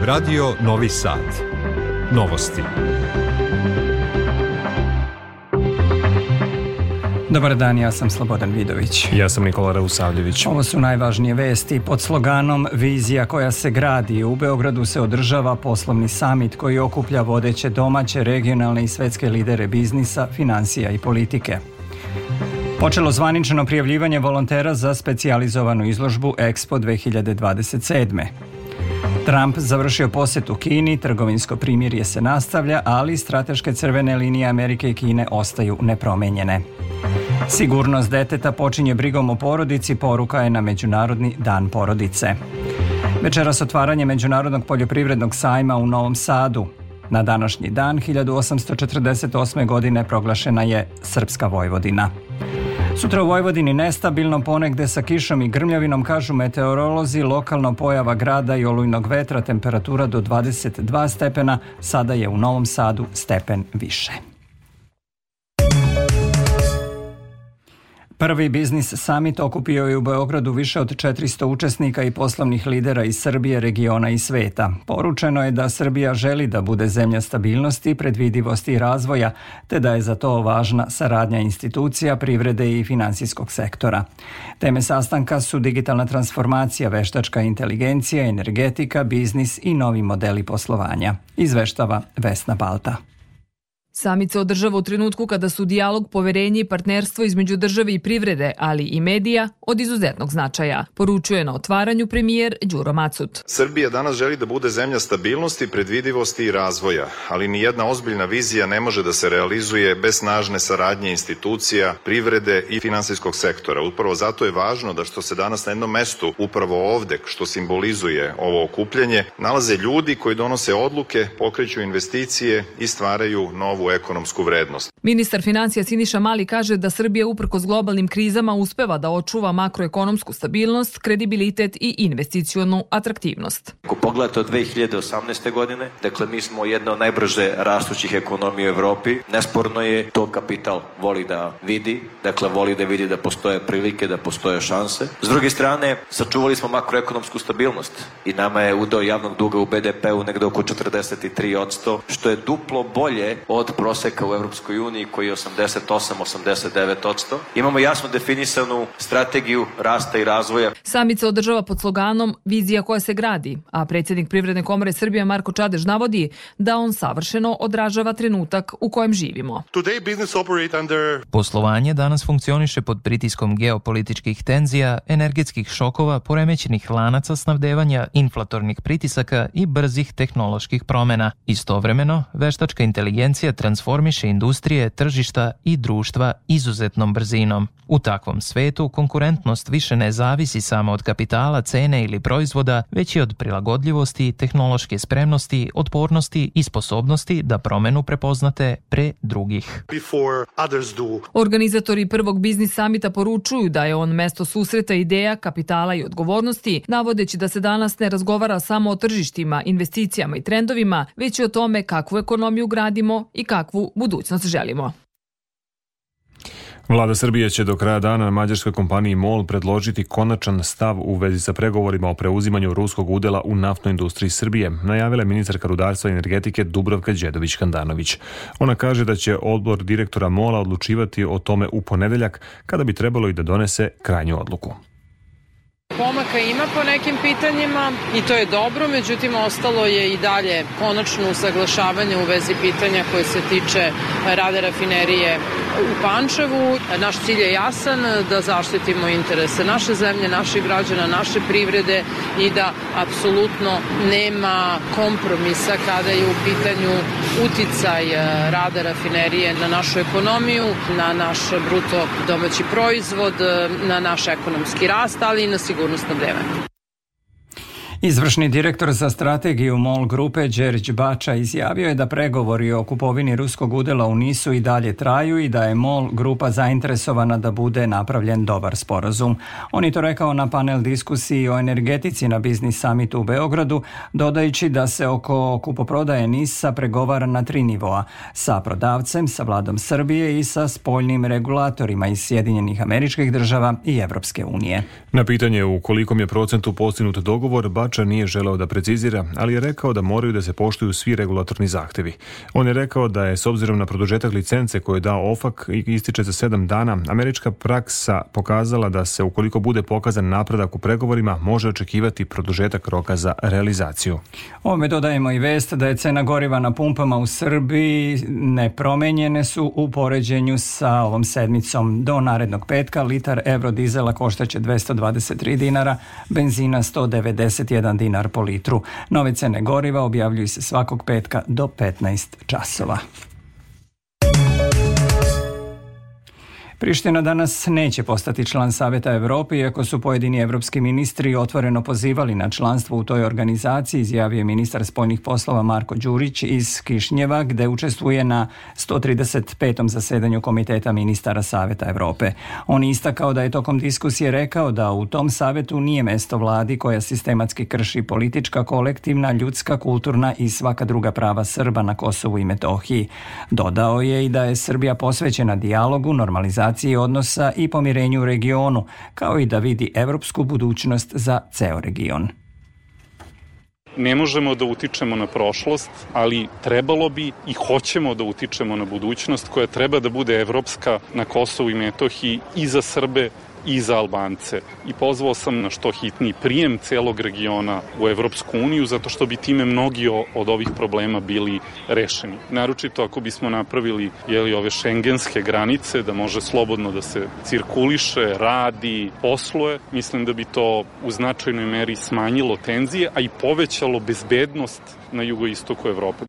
Radio Novi Sad. Novosti. Dobar dan, ja sam Slobodan Vidović. Ja sam Nikola Rausavljević. Ovo su najvažnije vesti. Pod sloganom Vizija koja se gradi, u Beogradu se održava poslovni samit koji okuplja vodeće domaće, regionalne i svetske lidere biznisa, financija i politike. Počelo zvanično prijavljivanje volontera za specijalizovanu izložbu Expo 2027. Trump završio posjetu Kini, trgovinsko primirje se nastavlja, ali strateške crvene linije Amerike i Kine ostaju nepromenjene. Sigurnost deteta počinje brigom o porodici, poruka je na Međunarodni dan porodice. Večeras otvaranje Međunarodnog poljoprivrednog sajma u Novom Sadu. Na današnji dan 1848. godine proglašena je Srpska Vojvodina. Sutra u Vojvodini nestabilno, ponegde sa kišom i grmljavinom, kažu meteorolozi, lokalno pojava grada i olujnog vetra, temperatura do 22 stepena, sada je u Novom Sadu stepen više. Prvi biznis summit okupio je u Beogradu više od 400 učesnika i poslovnih lidera iz Srbije, regiona i sveta. Poručeno je da Srbija želi da bude zemlja stabilnosti, predvidivosti i razvoja, te da je za to važna saradnja institucija, privrede i finansijskog sektora. Teme sastanka su digitalna transformacija, veštačka inteligencija, energetika, biznis i novi modeli poslovanja. Izveštava Vesna Balta. Samit se održava u trenutku kada su dijalog, poverenje i partnerstvo između države i privrede, ali i medija, od izuzetnog značaja, poručuje na otvaranju premijer Đuro Macut. Srbija danas želi da bude zemlja stabilnosti, predvidivosti i razvoja, ali ni jedna ozbiljna vizija ne može da se realizuje bez snažne saradnje institucija, privrede i finansijskog sektora. Upravo zato je važno da što se danas na jednom mestu, upravo ovde, što simbolizuje ovo okupljanje, nalaze ljudi koji donose odluke, pokreću investicije i stvaraju novu ekonomsku vrednost. Ministar financija Siniša Mali kaže da Srbija uprkos globalnim krizama uspeva da očuva makroekonomsku stabilnost, kredibilitet i investicionu atraktivnost. Ako pogledate od 2018. godine, dakle mi smo jedna od najbrže rastućih ekonomija u Evropi. Nesporno je to kapital voli da vidi, dakle voli da vidi da postoje prilike, da postoje šanse. S druge strane, sačuvali smo makroekonomsku stabilnost i nama je udeo javnog duga u BDP-u negde oko 43%, što je duplo bolje od proseka u Evropskoj uniji koji je 88-89%. Imamo jasno definisanu strategiju rasta i razvoja. Samit se održava pod sloganom Vizija koja se gradi, a predsjednik Privredne komore Srbije Marko Čadež navodi da on savršeno odražava trenutak u kojem živimo. Poslovanje danas funkcioniše pod pritiskom geopolitičkih tenzija, energetskih šokova, poremećenih lanaca snabdevanja, inflatornih pritisaka i brzih tehnoloških promjena. Istovremeno, veštačka inteligencija transformiše industrije, tržišta i društva izuzetnom brzinom. U takvom svetu konkurentnost više ne zavisi samo od kapitala, cene ili proizvoda, već i od prilagodljivosti, tehnološke spremnosti, otpornosti i sposobnosti da promenu prepoznate pre drugih. Organizatori prvog biznis samita poručuju da je on mesto susreta ideja, kapitala i odgovornosti, navodeći da se danas ne razgovara samo o tržištima, investicijama i trendovima, već i o tome kakvu ekonomiju gradimo i kakvu budućnost želimo. Vlada Srbije će do kraja dana mađarskoj kompaniji MOL predložiti konačan stav u vezi sa pregovorima o preuzimanju ruskog udela u naftnoj industriji Srbije, najavila je ministarka rudarstva i energetike Dubravka Đedović-Handanović. Ona kaže da će odbor direktora MOL-a odlučivati o tome u ponedeljak, kada bi trebalo i da donese krajnju odluku. Pomaka ima po nekim pitanjima i to je dobro, međutim ostalo je i dalje konačno usaglašavanje u vezi pitanja koje se tiče rada rafinerije u Pančevu. Naš cilj je jasan, da zaštitimo interese naše zemlje, naših građana, naše privrede i da apsolutno nema kompromisa kada je u pitanju uticaj rada rafinerije na našu ekonomiju, na naš bruto domaći proizvod, na naš ekonomski rast, ali i na sigurnosno vreme. Izvršni direktor za strategiju MOL grupe Đerić Bača izjavio je da pregovori o kupovini ruskog udela u NIS-u i dalje traju i da je MOL grupa zainteresovana da bude napravljen dobar sporazum. On je to rekao na panel diskusiji o energetici na biznis summitu u Beogradu, dodajući da se oko kupoprodaje NIS-a pregovara na 3 nivoa, sa prodavcem, sa vladom Srbije i sa spoljnim regulatorima iz Sjedinjenih Američkih Država i Evropske unije. Na pitanje u kolikom je procentu postignut dogovor, Bača predlagača nije želeo da precizira, ali je rekao da moraju da se poštuju svi regulatorni zahtevi. On je rekao da je, s obzirom na produžetak licence koju je dao OFAC i ističe za 7 dana, američka praksa pokazala da se, ukoliko bude pokazan napredak u pregovorima, može očekivati produžetak roka za realizaciju. Ovome dodajemo i vest da je cena goriva na pumpama u Srbiji nepromenjene su u poređenju sa ovom sedmicom. Do narednog petka litar eurodizela koštaće 223 dinara, benzina 191 dinar po litru. Nove cene goriva objavljuju se svakog petka do 15 časova. Priština danas neće postati član Saveta Evrope, iako su pojedini evropski ministri otvoreno pozivali na članstvo u toj organizaciji, izjavio je ministar spoljnih poslova Marko Đurić iz Kišnjeva, gde učestvuje na 135. zasedanju Komiteta ministara Saveta Evrope. On je istakao da je tokom diskusije rekao da u tom savetu nije mesto vladi koja sistematski krši politička, kolektivna, ljudska, kulturna i svaka druga prava Srba na Kosovu i Metohiji. Dodao je i da je Srbija posvećena dijalogu, normalizaciji odnosa i pomirenju u regionu, kao i da vidi evropsku budućnost za ceo region. Ne možemo da utičemo na prošlost, ali trebalo bi i hoćemo da utičemo na budućnost koja treba da bude evropska na Kosovu i Metohiji i za Srbe i za Albance. I pozvao sam na što hitniji prijem celog regiona u Evropsku uniju, zato što bi time mnogi od ovih problema bili rešeni. Naročito ako bismo napravili ove šengenske granice, da može slobodno da se cirkuliše, radi, posluje, mislim da bi to u značajnoj meri smanjilo tenzije, a i povećalo bezbednost na jugoistoku Evrope.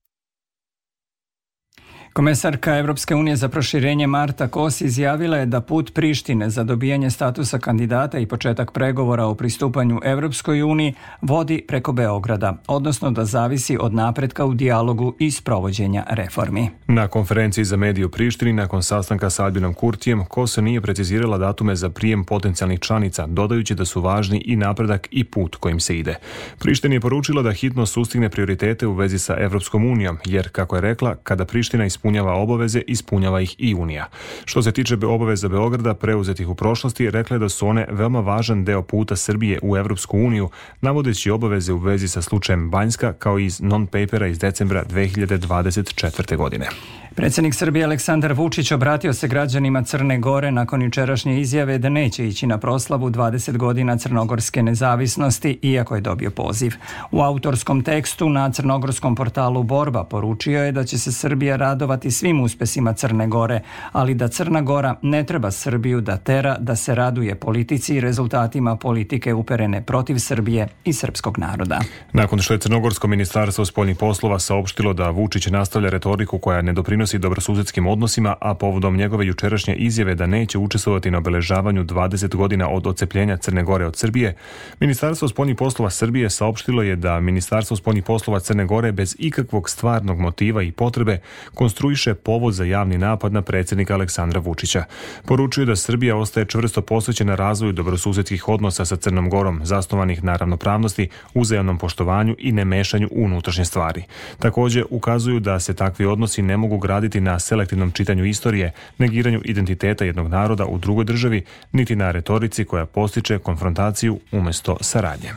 Komesarka Evropske unije za proširenje Marta Kos izjavila je da put Prištine za dobijanje statusa kandidata i početak pregovora o pristupanju Evropskoj uniji vodi preko Beograda, odnosno da zavisi od napretka u dijalogu i sprovođenja reformi. Na konferenciji za medije u Prištini nakon sastanka sa Albinom Kurtijem, Kos nije precizirala datume za prijem potencijalnih članica, dodajući da su važni i napredak i put kojim se ide. Priština je poručila da hitno sustigne prioritete u vezi sa Evropskom unijom, jer, kako je rekla, kada Priština ispunjava obaveze, ispunjava ih i Unija. Što se tiče obaveza Beograda preuzetih u prošlosti, rekla je da su one veoma važan deo puta Srbije u Evropsku uniju, navodeći obaveze u vezi sa slučajem Banjska, kao i iz non-papera iz decembra 2024. godine. Predsjednik Srbije Aleksandar Vučić obratio se građanima Crne Gore nakon jučerašnje izjave da neće ići na proslavu 20 godina crnogorske nezavisnosti, iako je dobio poziv. U autorskom tekstu na crnogorskom portalu Borba poručio je da će se Srbija radovati svim uspesima Crne Gore, ali da Crna Gora ne treba Srbiju da tera da se raduje politici i rezultatima politike uperene protiv Srbije i srpskog naroda. Nakon što je Crnogorsko ministarstvo spoljnih poslova saopštilo da Vučić nastavlja retoriku koja ne doprinosi dobrosusedskim odnosima, a povodom njegove jučerašnje izjave da neće učestvovati na obeležavanju 20 godina od odcepljenja Crne Gore od Srbije, Ministarstvo spoljnih poslova Srbije saopštilo je da Ministarstvo spoljnih poslova Crne Gore bez ikakvog stvarnog motiva i potrebe konstruiše povod za javni napad na predsjednika Aleksandra Vučića. Poručuju da Srbija ostaje čvrsto posvećena razvoju dobrosusedskih odnosa sa Crnom Gorom, zasnovanih na ravnopravnosti, uzajamnom poštovanju i nemešanju u unutrašnje stvari. Također ukazuju da se takvi odnosi ne mogu graditi na selektivnom čitanju istorije, negiranju identiteta jednog naroda u drugoj državi, niti na retorici koja postiče konfrontaciju umjesto saradnje.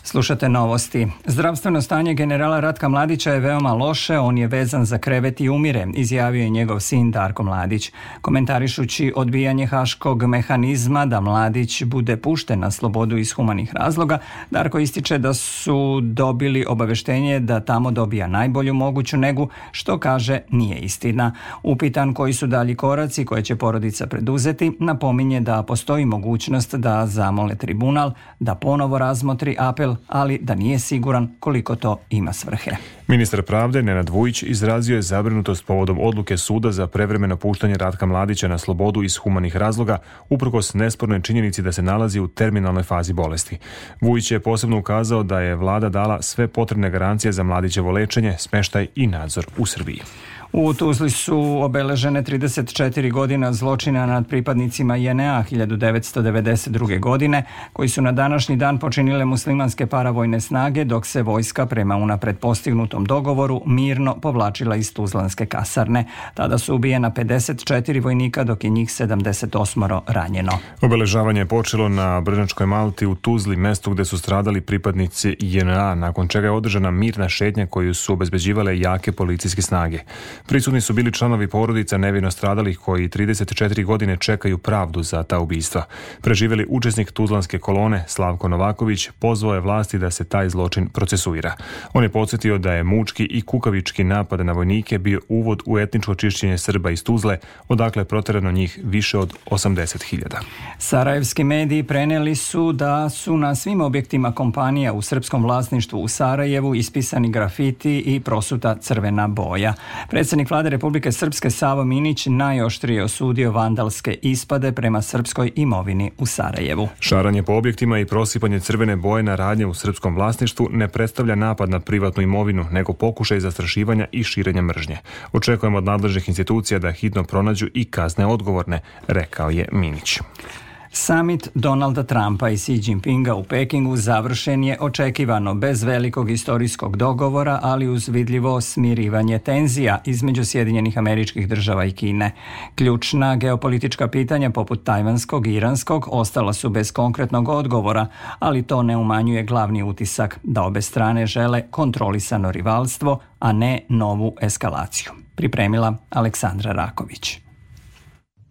Slušate novosti. Zdravstveno stanje generala Ratka Mladića je veoma loše, on je vezan za krevet i umire, izjavio je njegov sin Darko Mladić. Komentarišući odbijanje haškog mehanizma da Mladić bude pušten na slobodu iz humanih razloga, Darko ističe da su dobili obaveštenje da tamo dobija najbolju moguću negu, što kaže nije istina. Upitan koji su dalji koraci koje će porodica preduzeti, napominje da postoji mogućnost da zamole tribunal, da ponovo razmotri apel, ali da nije siguran koliko to ima svrhe. Ministar pravde Nenad Vujić izrazio je zabrinutost povodom odluke suda za prevremeno puštanje Ratka Mladića na slobodu iz humanih razloga, uprkos nespornoj činjenici da se nalazi u terminalnoj fazi bolesti. Vujić je posebno ukazao da je vlada dala sve potrebne garancije za Mladićevo lečenje, smeštaj i nadzor u Srbiji. U Tuzli su obeležene 34 godina zločina nad pripadnicima JNA 1992. godine, koji su na današnji dan počinile muslimanske paravojne snage, dok se vojska prema unapred postignutom dogovoru mirno povlačila iz tuzlanske kasarne. Tada su ubijena 54 vojnika, dok je njih 78 ranjeno. Obeležavanje je počelo na Brnjačkoj Malti u Tuzli, mestu gde su stradali pripadnici JNA, nakon čega je održana mirna šetnja koju su obezbeđivale jake policijske snage. Prisutni su bili članovi porodica nevino stradalih koji 34 godine čekaju pravdu za ta ubistva. Preživjeli učesnik tuzlanske kolone Slavko Novaković pozvao je vlasti da se taj zločin procesuira. On je podsjetio da je mučki i kukavički napad na vojnike bio uvod u etničko čišćenje Srba iz Tuzle, odakle je proterano njih više od 80.000. Sarajevski mediji prenijeli su da su na svim objektima kompanija u srpskom vlasništvu u Sarajevu ispisani grafiti i prosuta crvena boja. Predsjednik Vlade Republike Srpske Savo Minić najoštrije osudio vandalske ispade prema srpskoj imovini u Sarajevu. Šaranje po objektima i prosipanje crvene boje na radnje u srpskom vlasništvu ne predstavlja napad na privatnu imovinu, nego pokušaj zastrašivanja i širenja mržnje. Očekujemo od nadležnih institucija da hitno pronađu i kazne odgovorne, rekao je Minić. Summit Donalda Trumpa i Xi Jinpinga u Pekingu završen je očekivano bez velikog istorijskog dogovora, ali uz vidljivo smirivanje tenzija između Sjedinjenih Američkih Država i Kine. Ključna geopolitička pitanja poput tajvanskog i iranskog ostala su bez konkretnog odgovora, ali to ne umanjuje glavni utisak da obe strane žele kontrolisano rivalstvo, a ne novu eskalaciju. Pripremila Aleksandra Raković.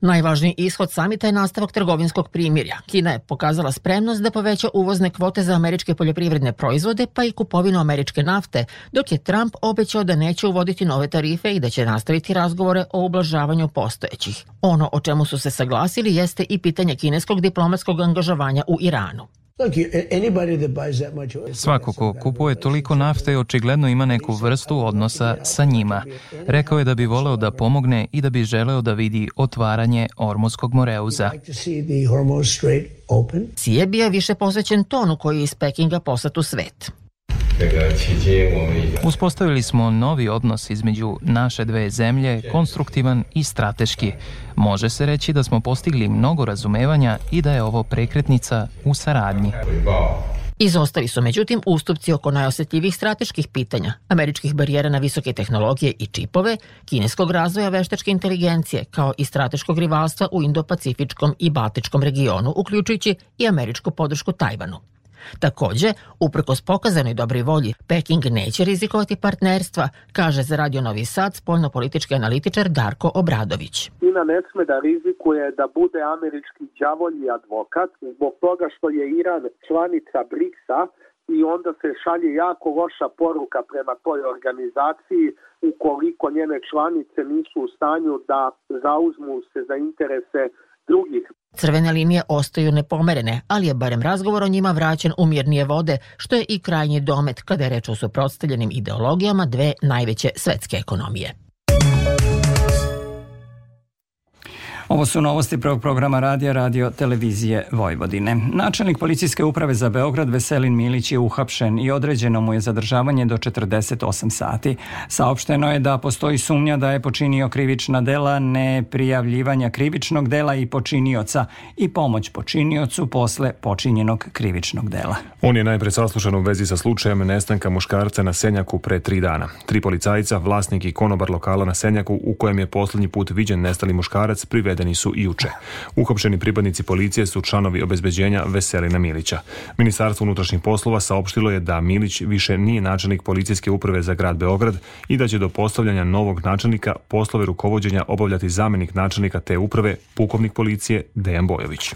Najvažniji ishod samita je nastavak trgovinskog primirja. Kina je pokazala spremnost da poveća uvozne kvote za američke poljoprivredne proizvode, pa i kupovinu američke nafte, dok je Trump obećao da neće uvoditi nove tarife i da će nastaviti razgovore o ublažavanju postojećih. Ono o čemu su se saglasili jeste i pitanje kineskog diplomatskog angažovanja u Iranu. Svako ko kupuje toliko nafte očigledno ima neku vrstu odnosa sa njima. Rekao je da bi voleo da pomogne i da bi želeo da vidi otvaranje Ormuzskog moreuza. Xi je bio više posvećen tonu koji je iz Pekinga poslat u svet. Uspostavili smo novi odnos između naše dve zemlje, konstruktivan i strateški. Može se reći da smo postigli mnogo razumevanja i da je ovo prekretnica u saradnji. Izostali su međutim ustupci oko najosjetljivih strateških pitanja, američkih barijera na visoke tehnologije i čipove, kineskog razvoja veštačke inteligencije, kao i strateškog rivalstva u Indo-Pacifičkom i Baltičkom regionu, uključujući i američku podršku Tajvanu. Također, uprkos pokazanoj dobroj volji, Peking neće rizikovati partnerstva, kaže za Radio Novi Sad spoljnopolitički analitičar Darko Obradović. Kina ne sme da rizikuje da bude američki đavolji advokat zbog toga što je Iran članica BRICS-a i onda se šalje jako loša poruka prema toj organizaciji ukoliko njene članice nisu u stanju da zauzmu se za interese drugih. Crvene linije ostaju nepomerene, ali je barem razgovor o njima vraćen u mirnije vode, što je i krajnji domet kada je reč o suprotstavljenim ideologijama dve najveće svetske ekonomije. Ovo su novosti prvog programa radija Radio Televizije Vojvodine. Načelnik policijske uprave za Beograd Veselin Milić je uhapšen i određeno mu je zadržavanje do 48 sati. Saopšteno je da postoji sumnja da je počinio krivična dela neprijavljivanja krivičnog dela i počinioca i pomoć počiniocu posle počinjenog krivičnog dela. On je najpre saslušan u vezi sa slučajem nestanka muškarca na Senjaku pre 3 dana. 3 policajca, vlasnik i konobar lokala na Senjaku u kojem je poslednji put viđen nestali muškarac, privedeni su i juče. Uhapšeni pripadnici policije su članovi obezbeđenja Veselina Milića. Ministarstvo unutrašnjih poslova saopštilo je da Milić više nije načelnik policijske uprave za grad Beograd i da će do postavljanja novog načelnika poslove rukovođenja obavljati zamenik načelnika te uprave, pukovnik policije Dejan Bojović.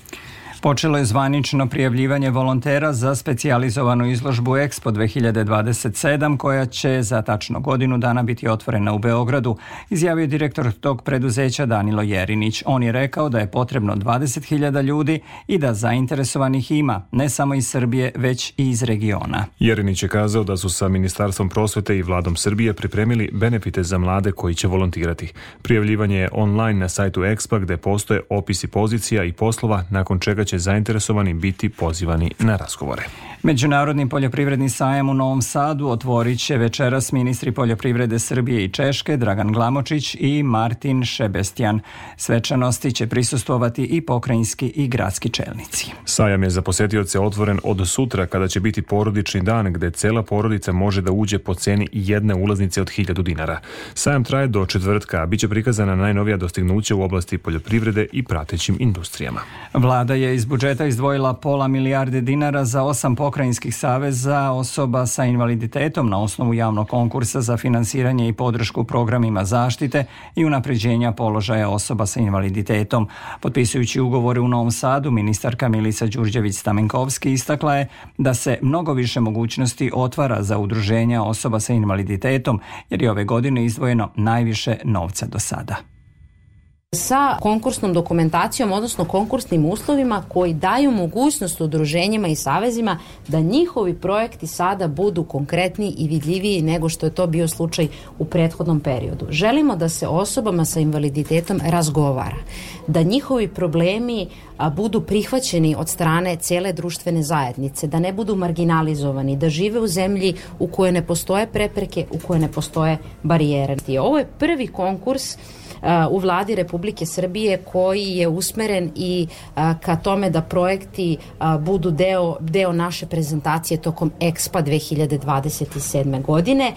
Počelo je zvanično prijavljivanje volontera za specijalizovanu izložbu Expo 2027 koja će za tačno godinu dana biti otvorena u Beogradu, izjavio direktor tog preduzeća Danilo Jerinić. On je rekao da je potrebno 20.000 ljudi i da zainteresovanih ima, ne samo iz Srbije, već i iz regiona. Jerinić je kazao da su sa Ministarstvom prosvete i Vladom Srbije pripremili benefite za mlade koji će volontirati. Prijavljivanje je online na sajtu Expo gde postoje opisi pozicija i poslova, nakon čega će će zainteresovani biti pozivani na razgovore. Međunarodni poljoprivredni sajam u Novom Sadu otvorit će večeras ministri poljoprivrede Srbije i Češke Dragan Glamočić i Martin Šebestjan. Svečanosti će prisustvovati i pokrajinski i gradski čelnici. Sajam je za posetioce otvoren od sutra kada će biti porodični dan gde cela porodica može da uđe po ceni jedne ulaznice od 1000 dinara. Sajam traje do četvrtka, a bit će prikazana najnovija dostignuća u oblasti poljoprivrede i pratećim industrijama. Vlada je iz budžeta izdvojila £500 milijarde dinara za 8 pokrajinskih saveza osoba sa invaliditetom na osnovu javnog konkursa za finansiranje i podršku programima zaštite i unapređenja položaja osoba sa invaliditetom. Potpisujući ugovore u Novom Sadu, ministarka Milica Đurđević-Stamenkovski istakla je da se mnogo više mogućnosti otvara za udruženja osoba sa invaliditetom, jer je ove godine izdvojeno najviše novca do sada. Sa konkursnom dokumentacijom, odnosno konkursnim uslovima koji daju mogućnost udruženjima i savezima da njihovi projekti sada budu konkretniji i vidljiviji nego što je to bio slučaj u prethodnom periodu. Želimo da se osobama sa invaliditetom razgovara, da njihovi problemi budu prihvaćeni od strane cele društvene zajednice, da ne budu marginalizovani, da žive u zemlji u kojoj ne postoje prepreke, u kojoj ne postoje barijere. Ovo je prvi konkurs u Vladi Republike Srbije koji je usmeren i ka tome da projekti budu deo naše prezentacije tokom EXPA 2027. godine.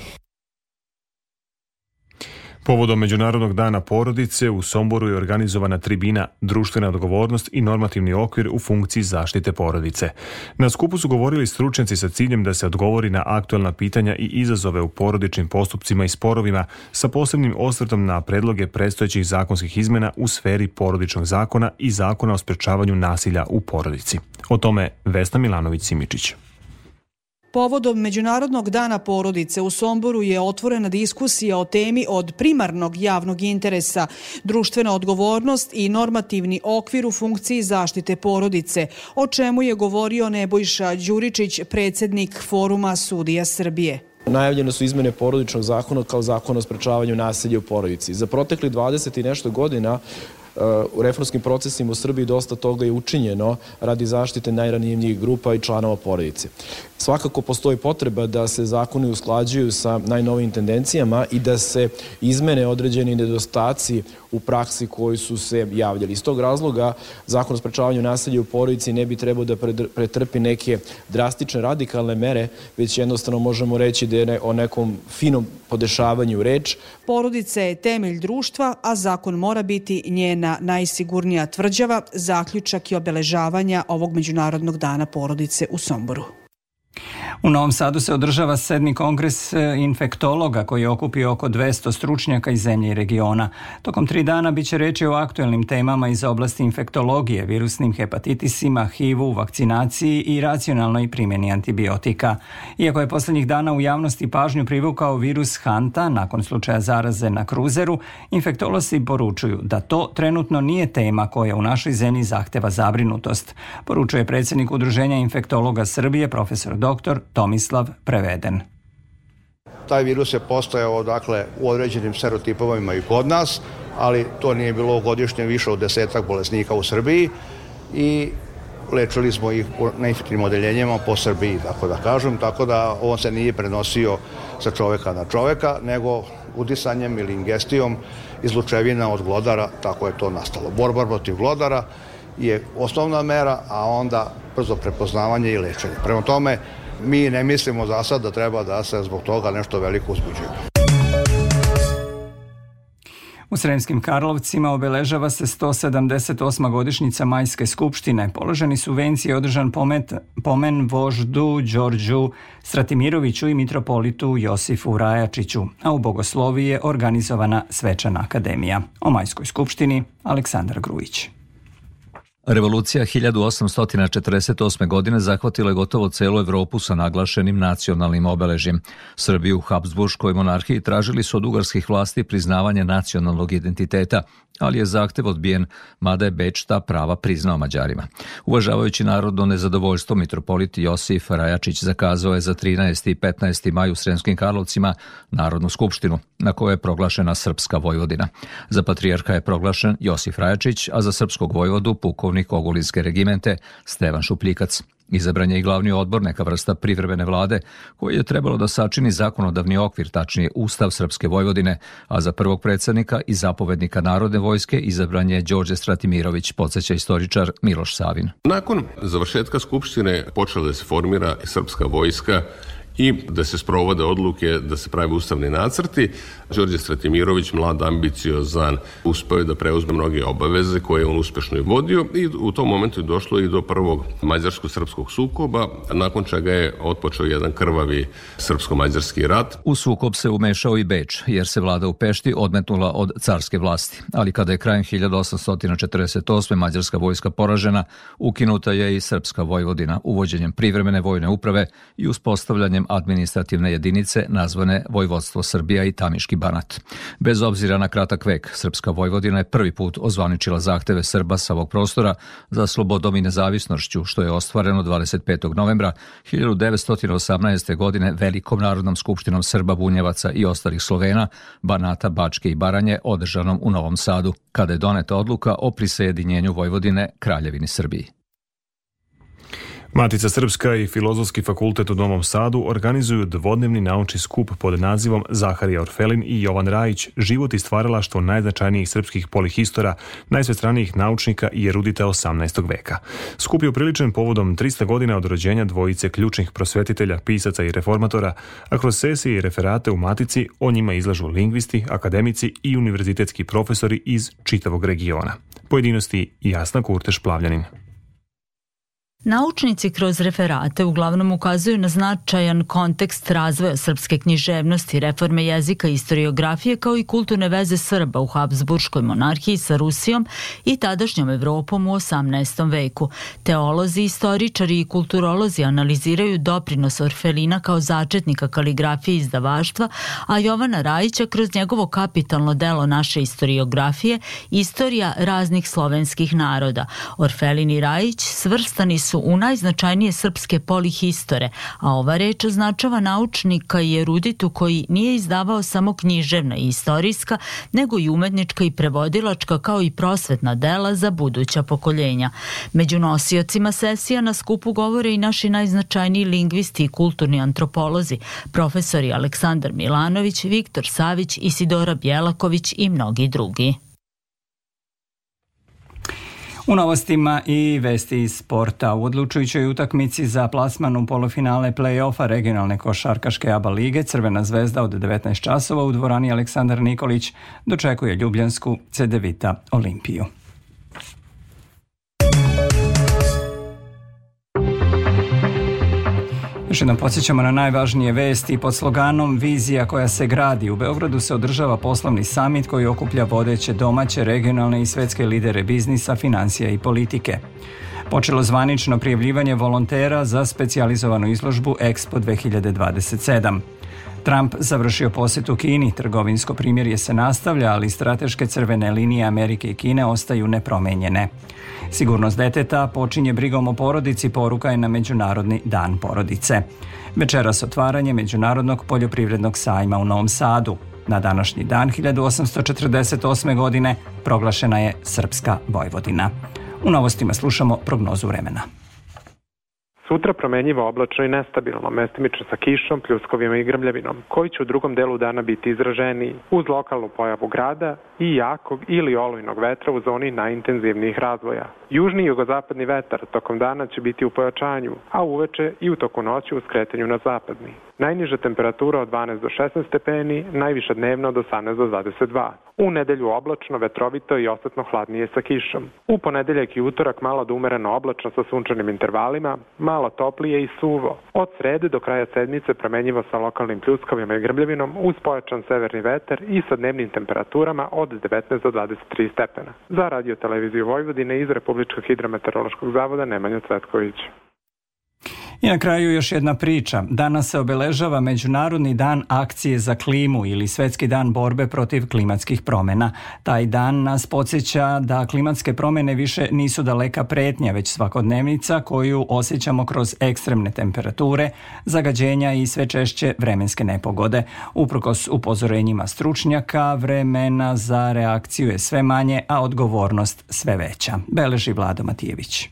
Povodom Međunarodnog dana porodice u Somboru je organizovana tribina Društvena odgovornost i normativni okvir u funkciji zaštite porodice. Na skupu su govorili stručnjaci sa ciljem da se odgovori na aktuelna pitanja i izazove u porodičnim postupcima i sporovima sa posebnim osvrtom na predloge predstojećih zakonskih izmena u sferi porodičnog zakona i zakona o sprečavanju nasilja u porodici. O tome Vesna Milanović-Simičić. Povodom Međunarodnog dana porodice u Somboru je otvorena diskusija o temi od primarnog javnog interesa, društvena odgovornost i normativni okvir u funkciji zaštite porodice, o čemu je govorio Nebojša Đuričić, predsjednik Foruma sudija Srbije. Najavljene su izmene porodičnog zakona kao zakona o sprečavanju nasilja u porodici. Za protekli 20 i nešto godina u reformskim procesima u Srbiji dosta toga je učinjeno radi zaštite najranjivijih grupa i članova porodice. Svakako postoji potreba da se zakoni usklađuju sa najnovijim tendencijama i da se izmene određeni nedostaci u praksi koji su se javljali. Iz tog razloga zakon o sprečavanju nasilja u porodici ne bi trebao da pretrpi neke drastične radikalne mere, već jednostavno možemo reći da je o nekom finom podešavanju reč. Porodica je temelj društva, a zakon mora biti njena najsigurnija tvrđava, zaključak i obeležavanja ovog Međunarodnog dana porodice u Somboru. U Novom Sadu se održava 7. kongres infektologa koji je okupio oko 200 stručnjaka iz zemlje i regiona. Tokom 3 dana biće reči o aktuelnim temama iz oblasti infektologije, virusnim hepatitisima, HIV-u, vakcinaciji i racionalnoj primjeni antibiotika. Iako je posljednjih dana u javnosti pažnju privukao virus Hanta nakon slučaja zaraze na kruzeru, infektolozi poručuju da to trenutno nije tema koja u našoj zemlji zahteva zabrinutost, poručuje predsjednik Udruženja infektologa Srbije, profesor dr. Tomislav Preveden. Taj virus je postojao u određenim serotipovima i kod nas, ali to nije bilo godišnje više od 10 bolesnika u Srbiji i lečili smo ih na infektivnim odeljenjima po Srbiji, tako da on se nije prenosio sa čoveka na čoveka, nego udisanjem ili ingestijom izlučevina od glodara, tako je to nastalo. Borba protiv glodara je osnovna mera, a onda brzo prepoznavanje i lečenje. Prema tome, mi ne mislimo za sad da treba da se zbog toga nešto veliko uzbuđujemo. U Sremskim Karlovcima obeležava se 178. godišnjica Majske skupštine. Položeni su venci i održan pomen voždu Đorđu Stratimiroviću i mitropolitu Josifu Rajačiću, a u Bogosloviji je organizovana svečana akademija. O Majskoj skupštini Aleksandar Grujić. Revolucija 1848. godine zahvatila je gotovo celu Evropu sa naglašenim nacionalnim obeležjem. Srbiju u Habsburškoj monarhiji tražili su od ugarskih vlasti priznavanje nacionalnog identiteta, ali je zahtev odbijen, mada je Beč ta prava priznao Mađarima. Uvažavajući narodno nezadovoljstvo, mitropolit Josif Rajačić zakazao je za 13. i 15. maj u Sremskim Karlovcima Narodnu skupštinu, na kojoj je proglašena Srpska Vojvodina. Za patrijarha je proglašen Josif Rajačić, a za srpskog vojvodu pukovnik pukovnik Ogulinske regimente Stevan Šupljikac. Izabran je i glavni odbor, neka vrsta privremene vlade, koji je trebalo da sačini zakonodavni okvir, tačnije Ustav Srpske Vojvodine, a za prvog predsjednika i zapovednika Narodne vojske izabran je Đorđe Stratimirović, podsjeća istoričar Miloš Savin. Nakon završetka Skupštine počela da se formira Srpska vojska i da se sprovode odluke, da se prave ustavni nacrti. Đorđe Stratimirović, mlad, ambiciozan, uspeo je da preuzme mnoge obaveze koje je on uspešno i vodio i u tom momentu je došlo i do prvog mađarsko-srpskog sukoba, nakon čega je otpočeo jedan krvavi srpsko-mađarski rat. U sukob se umešao i Beč, jer se vlada u Pešti odmetnula od carske vlasti. Ali kada je krajem 1848. mađarska vojska poražena, ukinuta je i Srpska Vojvodina uvođenjem privremene vojne uprave i uspostavljanjem administrativne jedinice nazvane Vojvodstvo Srbija i Tamiški Banat. Bez obzira na kratak vek, Srpska Vojvodina je prvi put ozvaničila zahteve Srba sa ovog prostora za slobodom i nezavisnošću, što je ostvareno 25. novembra 1918. godine Velikom narodnom skupštinom Srba, Bunjevaca i ostalih Slovena, Banata, Bačke i Baranje, održanom u Novom Sadu, kada je doneta odluka o prisajedinjenju Vojvodine Kraljevini Srbiji. Matica Srpska i Filozofski fakultet u Novom Sadu organizuju dvodnevni naučni skup pod nazivom Zaharija Orfelin i Jovan Rajić, život i stvaralaštvo najznačajnijih srpskih polihistora, najsvestranijih naučnika i erudita 18. veka. Skup je upriličen povodom 300 godina od rođenja dvojice ključnih prosvetitelja, pisaca i reformatora, a kroz sesije i referate u Matici o njima izlažu lingvisti, akademici i univerzitetski profesori iz čitavog regiona. Pojedinosti Jasna Kurteš-Plavljanin. Naučnici kroz referate uglavnom ukazuju na značajan kontekst razvoja srpske književnosti, reforme jezika i historiografije, kao i kulturne veze Srba u Habsburškoj monarhiji sa Rusijom i tadašnjom Evropom u 18. veku. Teolozi, istoričari i kulturolozi analiziraju doprinos Orfelina kao začetnika kaligrafije i izdavaštva, a Jovana Rajića kroz njegovo kapitalno delo naše historiografije, Istorija raznih slovenskih naroda. Orfelin i Rajić svrstani su u najznačajnije srpske polihistore, a ova reč označava naučnika i eruditu koji nije izdavao samo književna i istorijska, nego i umetnička i prevodilačka, kao i prosvetna dela za buduća pokoljenja. Među nosiocima sesija na skupu govore i naši najznačajniji lingvisti i kulturni antropolozi, profesori Aleksandar Milanović, Viktor Savić, Isidora Bjelaković i mnogi drugi. U novostima i vesti iz sporta. U odlučujućoj utakmici za plasman u polufinale play-offa regionalne košarkaške ABA lige Crvena zvezda od 19 časova u dvorani Aleksandar Nikolić dočekuje ljubljansku Cedevita Olimpiju. Još jednom podsjećamo na najvažnije vesti. Pod sloganom Vizija koja se gradi, u Beogradu se održava poslovni samit koji okuplja vodeće domaće, regionalne i svetske lidere biznisa, financija i politike. Počelo zvanično prijavljivanje volontera za specijalizovanu izložbu Expo 2027. Trump završio posjet u Kini, trgovinsko primirje se nastavlja, ali strateške crvene linije Amerike i Kine ostaju nepromenjene. Sigurnost deteta počinje brigom o porodici, poruka je na Međunarodni dan porodice. Večeras otvaranje Međunarodnog poljoprivrednog sajma u Novom Sadu. Na današnji dan 1848. godine proglašena je Srpska Vojvodina. U novostima slušamo prognozu vremena. Sutra promenjivo, oblačno i nestabilno, mestimično sa kišom, pljuskovima i grmljavinom, koji će u drugom delu dana biti izraženiji, uz lokalnu pojavu grada i jakog ili olujnog vetra u zoni najintenzivnijih razvoja. Južni i jugozapadni vetar tokom dana će biti u pojačanju, a uveče i u toku noći u skretanju na zapadni. Najniža temperatura od 12 do 16 stepeni, najviša dnevna od 18 do 22. U nedelju oblačno, vetrovito i osetno hladnije sa kišom. U ponedeljak i utorak malo do umereno oblačno sa sunčanim intervalima, malo toplije i suvo. Od srede do kraja sedmice promenjivo sa lokalnim pljuskovima i grmljavinom uz pojačan severni vetar i sa dnevnim temperaturama od 19 do 23 stepena. Za Radio Televiziju Vojvodine iz Republičkog hidrometeorološkog zavoda Nemanja Cvetković. I na kraju još jedna priča. Danas se obeležava Međunarodni dan akcije za klimu ili Svetski dan borbe protiv klimatskih promjena. Taj dan nas podsjeća da klimatske promjene više nisu daleka pretnja, već svakodnevnica koju osjećamo kroz ekstremne temperature, zagađenja i sve češće vremenske nepogode. Uprkos upozorenjima stručnjaka, vremena za reakciju je sve manje, a odgovornost sve veća. Beleži Vlado Matijević.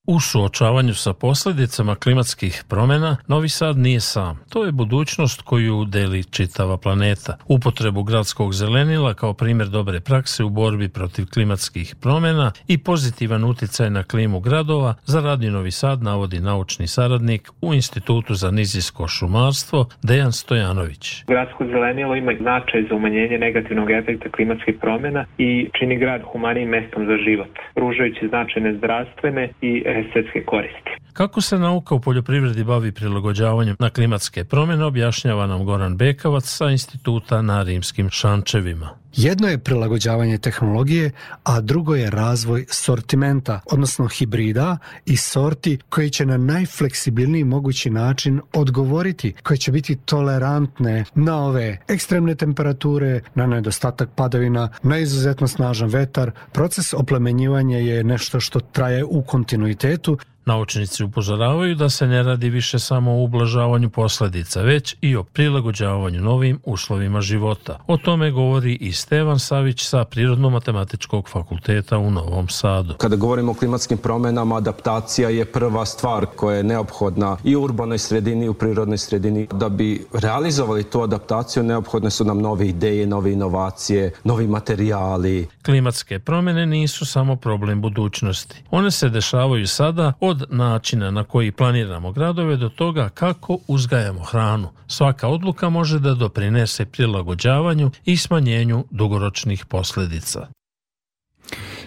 U suočavanju sa posljedicama klimatskih promjena, Novi Sad nije sam. To je budućnost koju deli čitava planeta. Upotrebu gradskog zelenila kao primjer dobre prakse u borbi protiv klimatskih promjena i pozitivan utjecaj na klimu gradova za Radio Novi Sad navodi naučni saradnik u Institutu za nizijsko šumarstvo Dejan Stojanović. Gradsko zelenilo ima značaj za umanjenje negativnog efekta klimatskih promjena i čini grad humanijim mestom za život, pružajući značajne zdravstvene i estetske koristi. Kako se nauka u poljoprivredi bavi prilagođavanjem na klimatske promjene, objašnjava nam Goran Bekavac sa Instituta na Rimskim Šančevima. Jedno je prilagođavanje tehnologije, a drugo je razvoj sortimenta, odnosno hibrida i sorti koji će na najfleksibilniji mogući način odgovoriti, koje će biti tolerantne na ove ekstremne temperature, na nedostatak padavina, na izuzetno snažan vetar. Proces oplemenjivanja je nešto što traje u kontinuitetu. Naučnici upozoravaju da se ne radi više samo o ublažavanju posljedica, već i o prilagođavanju novim uslovima života. O tome govori i Stevan Savić sa Prirodno-matematičkog fakulteta u Novom Sadu. Kada govorimo o klimatskim promjenama, adaptacija je prva stvar koja je neophodna i u urbanoj sredini i u prirodnoj sredini. Da bi realizovali tu adaptaciju, neophodne su nam nove ideje, nove inovacije, novi materijali. Klimatske promjene nisu samo problem budućnosti. One se dešavaju sada, od načina na koji planiramo gradove do toga kako uzgajamo hranu. Svaka odluka može da doprinese prilagođavanju i smanjenju dugoročnih posljedica.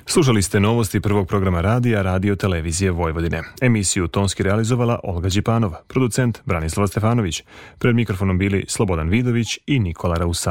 Slušali ste novosti prvog programa radija Radio Televizije Vojvodine. Emisiju tonski realizovala Olga Đipanova, producent Branislava Stefanović. Pred mikrofonom bili Slobodan Vidović i Nikola Rausa.